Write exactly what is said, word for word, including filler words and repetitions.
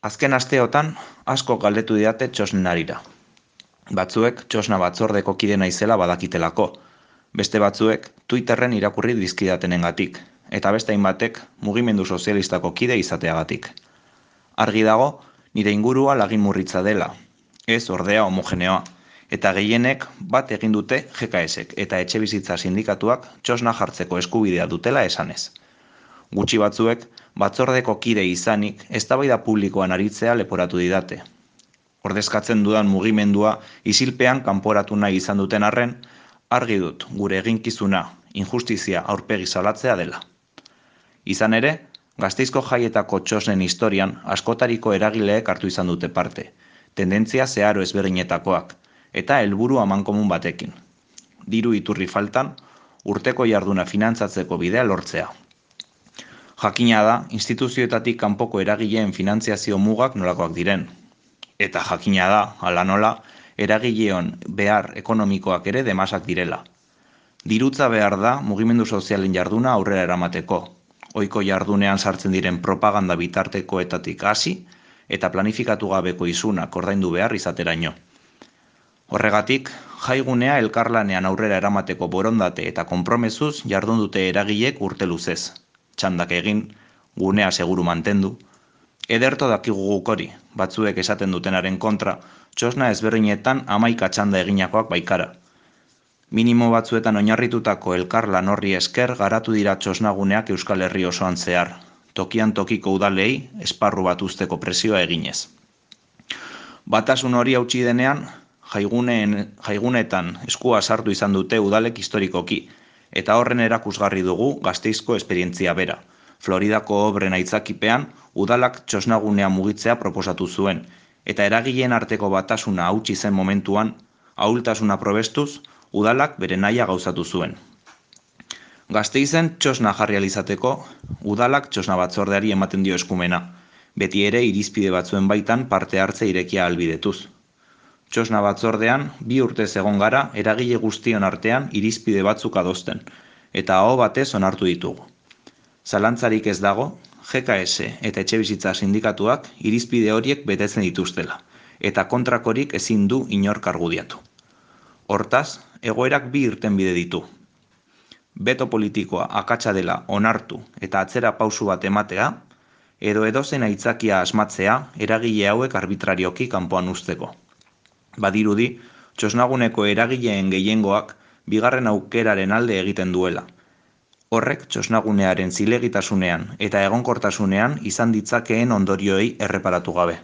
Azken asteotan asko galdetu didate txosnen harira. Batzuek txosna batzordeko kide naizela badakitelako, beste batzuek Twitterren irakurri dizkidatenengatik, eta beste hainbatek mugimendu sozialistako kide izateagatik. Argi dago, nire ingurua lagin-murritza dela, ez ordea homogeneoa, eta gehienek bat egin dute G K S-ek eta etxebizitza sindikatuak txosna jartzeko eskubidea dutela esanez. Gutxi batzuek, batzordeko kide izanik, eztabaida publikoan aritzea leporatu didate. Ordezkatzen dudan mugimendua isilpean kanporatu nahi izan duten arren, argi dut gure eginkizuna, injustizia aurpegi salatzea dela. Izan ere, Gasteizko jaietako txosnen historian askotariko eragileek hartu izan dute parte, tendentzia zeharo ezberdinetakoak, eta helburu amankomun batekin. Diru iturri faltan, urteko jarduna finantzatzeko bidea lortzea. Jakina da, instituzioetatik kanpoko eragileen finantziazio mugak nolakoak diren. Eta jakina da, hala nola, eragileon behar ekonomikoak ere demasak direla. Dirutza behar da mugimendu sozialen jarduna aurrera eramateko, ohiko jardunean sartzen diren propaganda bitartekoetatik hasi eta planifikatu gabeko isunak ordaindu behar izateraino. Horregatik, jaigunea elkarlanean aurrera eramateko borondate eta konpromezuz jardun dute eragilek urte luzez. Txandak egin, gunea seguru mantendu. Ederto dakigu guk hori, batzuek esaten dutenaren kontra, txosna ezberdinetan hamaika txanda eginakoak baikara. Minimo batzuetan oinarritutako elkarlan horri esker garatu dira txosnaguneak Euskal Herri osoan zehar, tokian tokiko udalei esparru bat uzteko presioa eginez. Batasun hori hautsi denean, jaiguneen, jaigunetan eskua sartu izan dute udalek historikoki, eta horren erakusgarri dugu Gasteizko esperientzia bera. Floridako obren aitzakipean, udalak txosnagunea mugitzea proposatu zuen, eta eragileen arteko batasuna hautsi zen momentuan, ahultasuna probestuz, udalak bere nahia gauzatu zuen. Gasteizen txosna jarri ahal izateko, udalak txosna batzordeari ematen dio eskumena, beti ere irizpide batzuen baitan parte hartze irekia ahalbidetuz. Txosna batzordean, bi urtez egon gara eragile guztion artean irizpide batzuk adosten, eta aho batez onartu ditugu. Zalantzarik ez dago, G K S eta etxebizitza sindikatuak irizpide horiek betetzen dituztela, eta kontrakorik ezin du inork argudiatu. Hortaz, egoerak bi irtenbide ditu. Beto politikoa akatsa dela onartu eta atzera pausu bat ematea, edo edozein aitzakia asmatzea eragile hauek arbitrarioki kanpoan uzteko. Badirudi, txosnaguneko eragileen gehiengoak bigarren aukeraren alde egiten duela. Horrek txosnagunearen zilegitasunean eta egonkortasunean izan ditzakeen ondorioei erreparatu gabe.